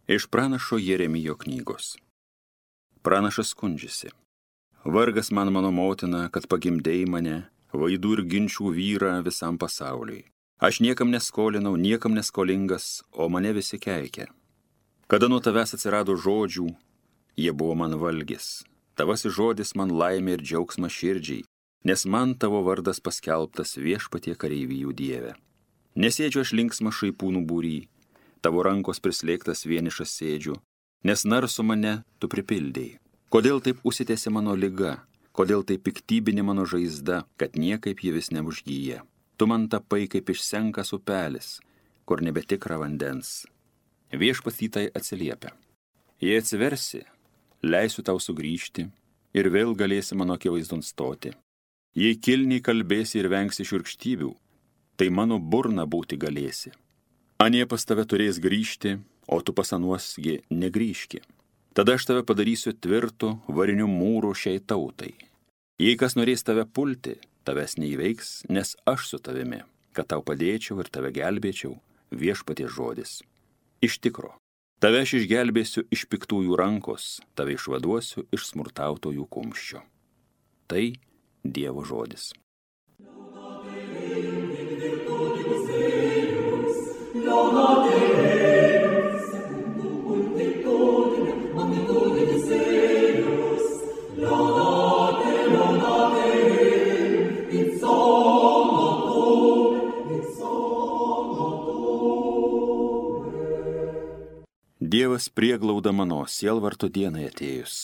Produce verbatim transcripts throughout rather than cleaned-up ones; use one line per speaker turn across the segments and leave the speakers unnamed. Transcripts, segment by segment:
Iš pranašo Jeremijo knygos. Pranašas skundžiasi. Vargas man mano motina, kad pagimdei mane, vaidų ir ginčių vyrą visam pasauliui. Aš niekam neskolinau, niekam neskolingas, o mane visi keikia. Kada nuo tavęs atsirado žodžių, jie buvo man valgis. Tavasis žodis man laimė ir džiaugsmas širdžiai, nes man tavo vardas paskelbtas Viešpatie kareivijų Dieve. Nesėdžiu aš linksmą šaipūnų būry, tavo rankos prislėgtas vienišas sėdžiu, nes narsu mane tu pripildei. Kodėl taip užsitęsė mano liga, kodėl taip piktybinė mano žaizda, kad niekaip ji vis neužgyja. Tu man tapai kaip išsenkas upelis, kur nebetikra vandens. Viešpats į tai atsiliepia. Jei atsiversi, leisiu tau sugrįžti ir vėl galėsi mano akivaizdon stoti. Jei kilniai kalbėsi ir vengsi šiurkštybių, tai mano burna būti galėsi. Anie pas tave turės grįžti, o tu pas anuosgi negrįžki. Tada aš tave padarysiu tvirtu variniu mūru šiai tautai. Jei kas norės tave pulti, tavęs neįveiks, nes aš su tavimi, kad tau padėčiau ir tave gelbėčiau, Viešpaties žodis. Iš tikro, tave aš išgelbėsiu iš piktųjų rankos, tave išvaduosiu iš smurtautojų kumščio. Tai Dievo žodis. Dievas prieglauda mano sielvarto dienai atėjus.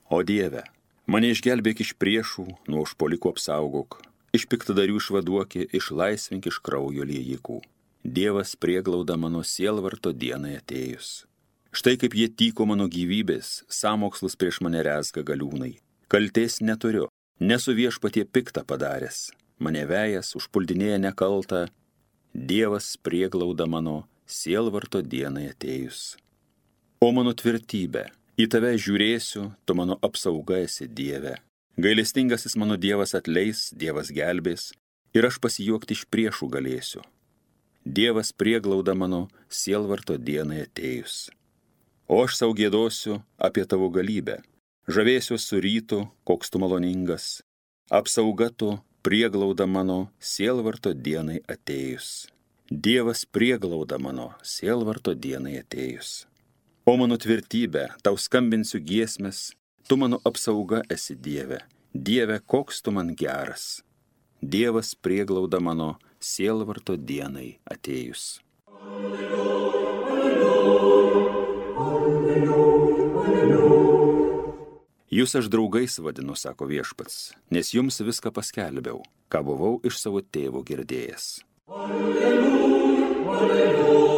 O Dieve, mane išgelbėk iš priešų, nuo užpuolikų apsaugok, iš piktadarių išvaduok, išlaisvink iš kraujo liejikų. Dievas prieglauda mano sielvarto dienai atėjus. Štai kaip jie tyko mano gyvybės, sąmokslus prieš mane rezga galiūnai. Kaltės neturiu, nesu Viešpatie piktą padaręs, mane vejas, užpuldinėja nekaltą. Dievas prieglauda mano sielvarto dienai atėjus. O mano tvirtybė, į tave žiūrėsiu, tu mano apsauga esi Dieve. Gailestingasis mano Dievas atleis, Dievas gelbės, ir aš pasijuokti iš priešų galėsiu. Dievas prieglauda mano sielvarto dienai atėjus. O aš sau giedosiu apie tavo galybę, žavėsiu su rytu, koks tu maloningas, apsauga tu prieglauda mano sielvarto dienai atėjus. Dievas prieglauda mano sielvarto dienai atėjus. O mano tvirtybė, tau skambinsiu giesmes, tu mano apsauga esi Dieve. Dieve, koks tu man geras. Dievas prieglauda mano sielvarto dienai atėjus. Alleluja, alleluja, alleluja. Jūs aš draugais vadinu, sako Viešpats, nes jums viską paskelbiau, ką buvau iš savo tėvo girdėjęs. Alleluja, alleluja.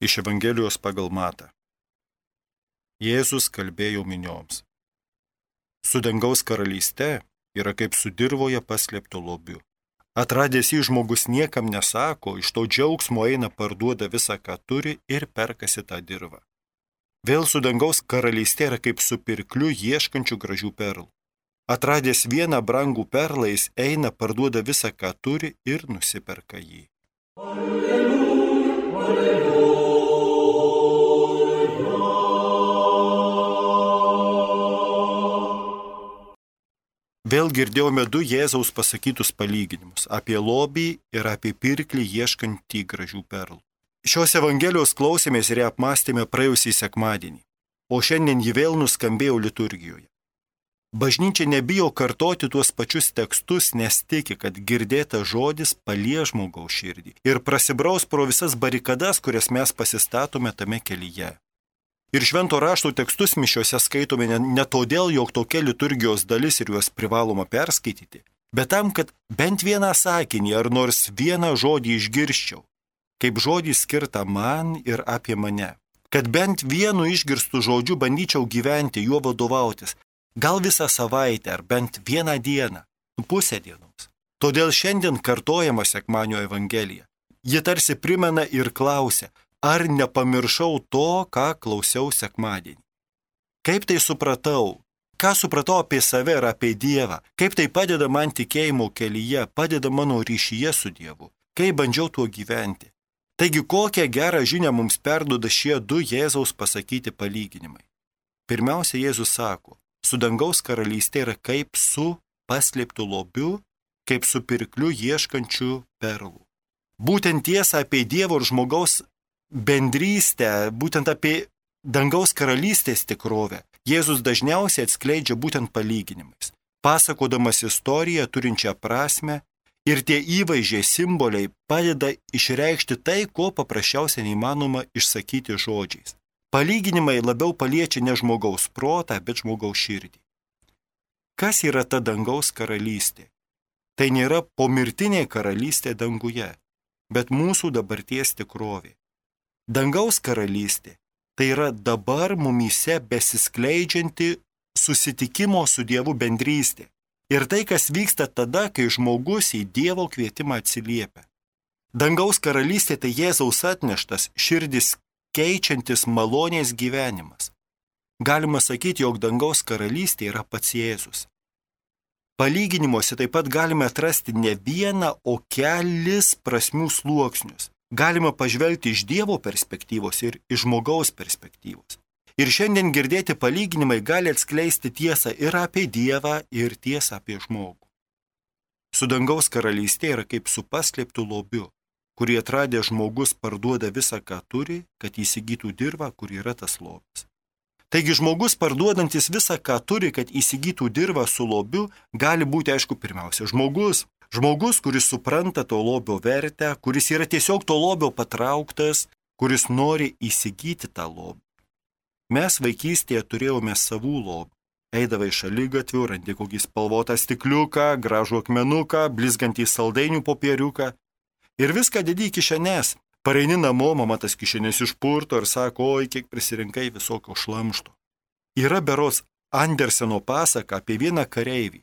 Iš Evangelijos pagal Matą. Jėzus kalbėjo minioms. Su dangaus karalyste yra kaip su dirvoje paslėpto lobiu. Atradęs jį žmogus niekam nesako, iš to džiaugsmo eina parduoda visą, ką turi ir perkasi tą dirvą. Vėl su dangaus karalyste yra kaip su pirkliu ieškančiu gražių perlų. Atradęs vieną brangų perlą, jis eina parduoda visą, ką turi ir nusiperka jį. Alleluja, alleluja. Vėl girdėjome du Jėzaus pasakytus palyginimus apie lobį ir apie pirklį ieškantį gražių perlų. Šios Evangelijos klausėmės ir apmąstėme praėjusį sekmadienį, o šiandien ji vėl nuskambėjo liturgijoje. Bažnyčia nebijo kartoti tuos pačius tekstus, nes tiki, kad girdėtas žodis palies žmogaus širdį ir prasibraus pro visas barikadas, kurias mes pasistatome tame kelyje. Ir švento rašto tekstus mišiose skaitome ne, ne todėl, jog tokia liturgijos dalis ir juos privaloma perskaityti, bet tam, kad bent vieną sakinį ar nors vieną žodį išgirščiau, kaip žodį skirtą man ir apie mane. Kad bent vienu išgirstų žodžiu bandyčiau gyventi, juo vadovautis, gal visą savaitę ar bent vieną dieną, pusę dienos. Todėl šiandien kartojama sekmadienio Evangelija. Ji tarsi primena ir klausia, ar nepamiršau to, ką klausiau sekmadienį. Kaip tai supratau, Ką supratau apie save ir apie Dievą, kaip tai padeda man tikėjimo kelyje, padeda mano ryšyje su Dievu, kaip bandžiau tuo gyventi. Taigi kokią gerą žinią mums perduoda šie du Jėzaus pasakyti palyginimai. Pirmiausia, Jėzus sako, su dangaus karalystė yra kaip su paslėptu lobiu, kaip su pirkliu ieškančiu perlų. Būtent tiesa apie Dievo ir žmogaus bendrystę, būtent apie dangaus karalystės tikrovę, Jėzus dažniausiai atskleidžia būtent palyginimais, pasakodamas istoriją turinčią prasme, ir tie įvaizdžiai simboliai padeda išreikšti tai, ko paprasčiausiai neįmanoma išsakyti žodžiais. Palyginimai labiau paliečia ne žmogaus protą, bet žmogaus širdį. Kas yra ta dangaus karalystė? Tai nėra pomirtinė karalystė danguje, bet mūsų dabarties tikrovė. Dangaus karalystė tai yra dabar mumyse besiskleidžianti susitikimo su Dievu bendrystė. Ir tai, kas vyksta tada, kai žmogus į Dievo kvietimą atsiliepia. Dangaus karalystė tai Jėzaus atneštas, širdis keičiantis malonės gyvenimas. Galima sakyti, jog dangaus karalystė yra pats Jėzus. Palyginimuose taip pat galime atrasti ne vieną, o kelis prasmių sluoksnius. Galima pažvelgti iš Dievo perspektyvos ir iš žmogaus perspektyvos. Ir šiandien girdėti palyginimai gali atskleisti tiesą ir apie Dievą, ir tiesą apie žmogų. Su dangaus karalystė yra kaip su paslėptu lobiu, kurį atradę žmogus parduoda visą, ką turi, kad įsigytų dirvą, kur yra tas lobis. Taigi žmogus parduodantis visą, ką turi, kad įsigytų dirvą su lobiu, gali būti, aišku, pirmiausia žmogus. Žmogus, kuris supranta to lobio vertę, kuris yra tiesiog to lobio patrauktas, kuris nori įsigyti tą lobį. Mes vaikystėje turėjome savų lobių. Eidavai šaligatvių, randi kokį spalvotą stikliuką, gražų akmenuką, blizgantį saldainių popieriuką ir viską dedi į kišenes. Pareini namo, mama tas kišenes išpurto ir sako, oi, kiek prisirinkai visokio šlamšto. Yra berods Anderseno pasaka apie vieną kareivį,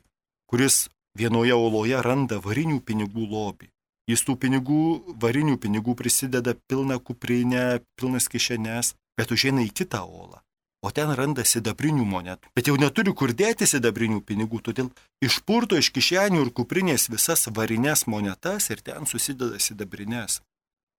kuris vienoje oloje randa varinių pinigų lobį. Jis tų pinigų, varinių pinigų prisideda pilną kuprinę, pilnas kišenes, bet užeina į kitą olą, o ten randa sidabrinių monetų. Bet jau neturi kur dėti sidabrinių pinigų, todėl išpurto iš kišenių ir kuprinės visas varinės monetas ir ten susideda sidabrinės.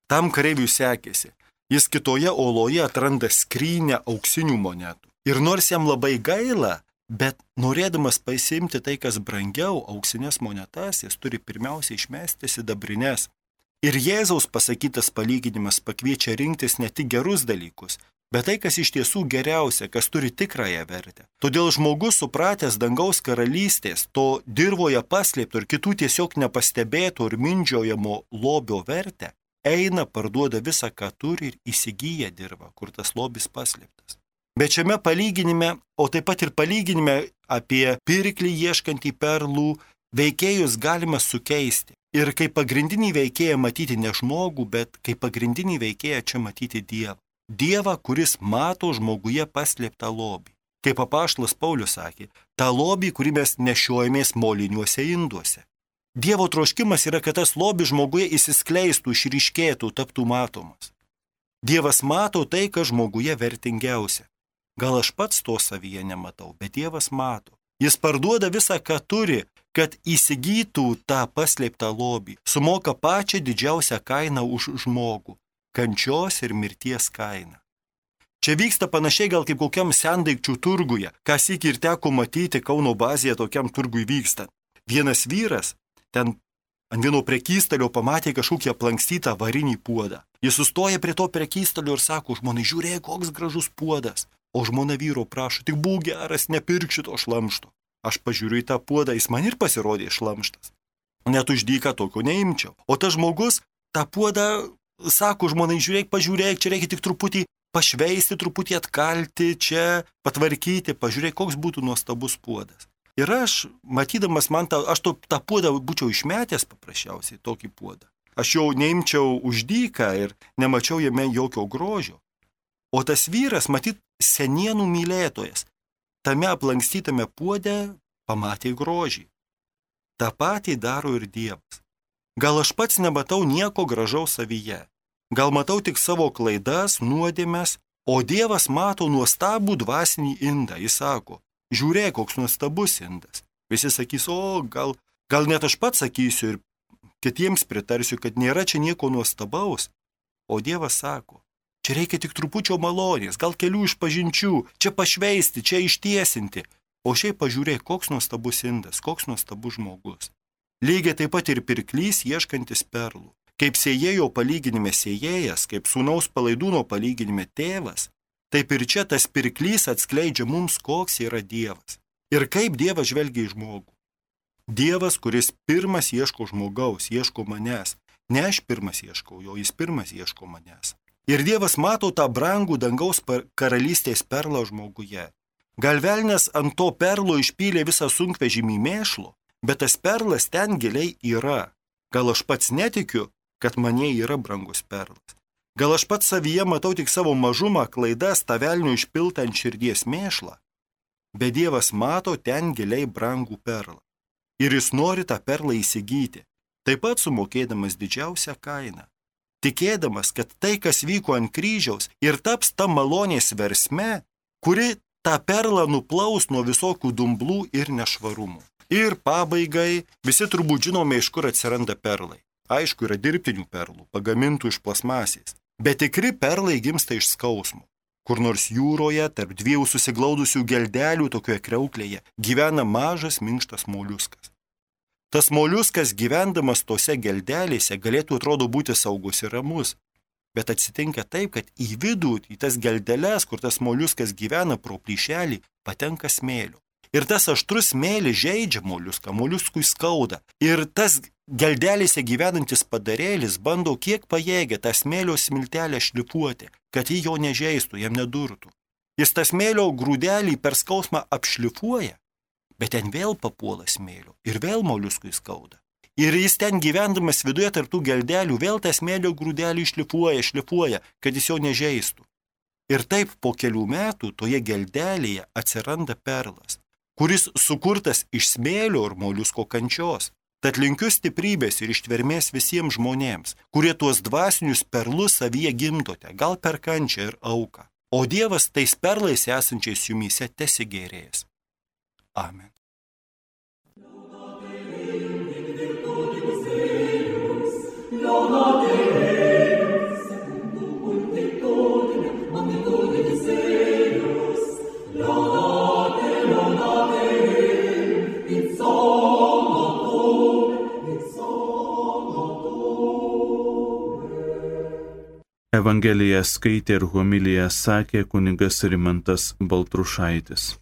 Tam kareiviui sekėsi. Jis kitoje oloje atranda skrynę auksinių monetų. Ir nors jam labai gaila, bet norėdamas pasiimti tai, kas brangiau, auksinės monetas, jis turi pirmiausia išmesti sidabrinės. Ir Jėzaus pasakytas palyginimas pakviečia rinktis ne tik gerus dalykus, bet tai, kas iš tiesų geriausia, kas turi tikrąją vertę. Todėl žmogus, supratęs dangaus karalystės, to dirvoje paslėpto ir kitų tiesiog nepastebėto ir mindžiojamo lobio vertę, eina, parduoda visą, ką turi ir įsigyja dirvą, kur tas lobis paslėptas. Bet šiame palyginime, o taip pat ir palyginime apie pirklį ieškantį perlų, veikėjus galima sukeisti. Ir kaip pagrindinį veikėją matyti ne žmogų, bet kaip pagrindinį veikėją čia matyti Dievą. Dievą, kuris mato žmoguje paslėptą lobį. Kaip apaštalas Paulius sakė, tą lobį, kurį mes nešiojamės moliniuose induose. Dievo troškimas yra, kad tas lobis žmoguje įsiskleistų, išryškėtų, taptų matomas. Dievas mato tai, kas žmoguje vertingiausia. Gal aš pats to savyje nematau, bet Dievas mato. Jis parduoda visą, ką turi, kad įsigytų tą paslėptą lobį. Sumoka pačią didžiausią kainą už žmogų – kančios ir mirties kainą. Čia vyksta panašiai gal kaip kokiam sendaikčių turguje, ką sykį ir teko matyti Kauno bazėje tokiam turgui vykstant. Vienas vyras ten ant vieno prekystalio pamatė kažkokį aplankstytą varinį puodą. Jis sustoja prie to prekystalio ir sako žmonai, žiūrėk, koks gražus puodas. O žmona vyro prašo, tik būk geras, nepirk šito šlamšto. Aš pažiūriu į tą puodą, jis man ir pasirodė šlamštas. Net už dyką tokio neimčiau. O tas žmogus tą puodą sako žmonai, žiūrėk, pažiūrėk, čia reikia tik truputį pašveisti, truputį atkalti, čia patvarkyti, pažiūrėk, koks būtų nuostabus puodas. Ir aš, matydamas man tą, aš to, tą puodą būčiau išmetęs paprasčiausiai, tokį puodą. Aš jau neimčiau už dyką ir nemačiau jame jokio grožio. O tas vyras, matyt, senienų mylėtojas, tame aplankstytame puode pamatė grožį. Ta patį daro ir Dievas. Gal aš pats nematau nieko gražaus savyje. Gal matau tik savo klaidas, nuodėmes, o Dievas mato nuostabų dvasinį indą. Jis sako, žiūrėk, koks nuostabus indas. Visi sakys, o gal, gal net aš pats sakysiu ir kitiems pritarsiu, kad nėra čia nieko nuostabaus. O Dievas sako, čia reikia tik trupučio malonės, gal kelių išpažinčių, čia pašveisti, čia ištiesinti. O šiaip pažiūrėk, koks nuostabus indas, koks nuostabus žmogus. Lygiai taip pat ir pirklys ieškantis perlų. Kaip sėjėjo palyginime sėjėjas, kaip sūnaus palaidūno palyginime tėvas, taip ir čia tas pirklys atskleidžia mums, koks yra Dievas. Ir kaip Dievas žvelgia į žmogų. Dievas, kuris pirmas ieško žmogaus, ieško manęs. Ne aš pirmas ieškau jo, jis pirmas ieško manęs. Ir Dievas mato tą brangų dangaus karalystės perlą žmoguje. Gal velnias ant to perlo išpylė visą sunkvežimį mėšlo, bet tas perlas ten giliai yra. Gal aš pats netikiu, kad manie yra brangus perlas. Gal aš pats savyje matau tik savo mažumą, klaidas, tą velnių išpiltą ant širdies mėšlą. Bet Dievas mato ten giliai brangų perlą. Ir jis nori tą perlą įsigyti, taip pat sumokėdamas didžiausią kainą. Tikėdamas, kad tai, kas vyko ant kryžiaus, ir taps ta malonės versme, kuri tą perlą nuplaus nuo visokių dumblų ir nešvarumų. Ir pabaigai visi turbūt žinome, iš kur atsiranda perlai. Aišku, yra dirbtinių perlų, pagamintų iš plasmasės. Bet tikri perlai gimsta iš skausmo. Kur nors jūroje, tarp dviejų susiglaudusių geldelių tokioje kriauklėje, gyvena mažas minkštas moliuskas. Tas moliuskas gyvendamas tose geldelėse galėtų atrodo būti saugus ir ramus. Bet atsitinka taip, kad į vidų, į tas geldeles, kur tas moliuskas gyvena pro plyšelį, patenka smėlio. Ir tas aštrus smėlis žeidžia moliuską, moliuskui skauda. Ir tas geldelėse gyvenantis padarėlis bando kiek pajėgia tą smėlio smiltelę šlifuoti, kad jį jo nežeistų, jam nedurtų. Jis tą smėlio grūdelį per skausmą apšlifuoja, bet ten vėl papuola smėlio ir vėl moliuskui skauda. Ir jis ten gyvendamas viduje tarp tų geldelių vėl tą smėlio grūdelį šlifuoja, šlifuoja, kad jis jo nežeistų. Ir taip po kelių metų toje geldelėje atsiranda perlas, kuris sukurtas iš smėlio ir moliusko kančios. Tad linkiu stiprybės ir ištvermės visiems žmonėms, kurie tuos dvasinius perlus savyje gimdote, gal per kančią ir auką. O Dievas tais perlais esančiais jumyse tesigėrės. Amen.
Evangeliją skaitė ir homiliją sakė kunigas Rimantas Baltrušaitis.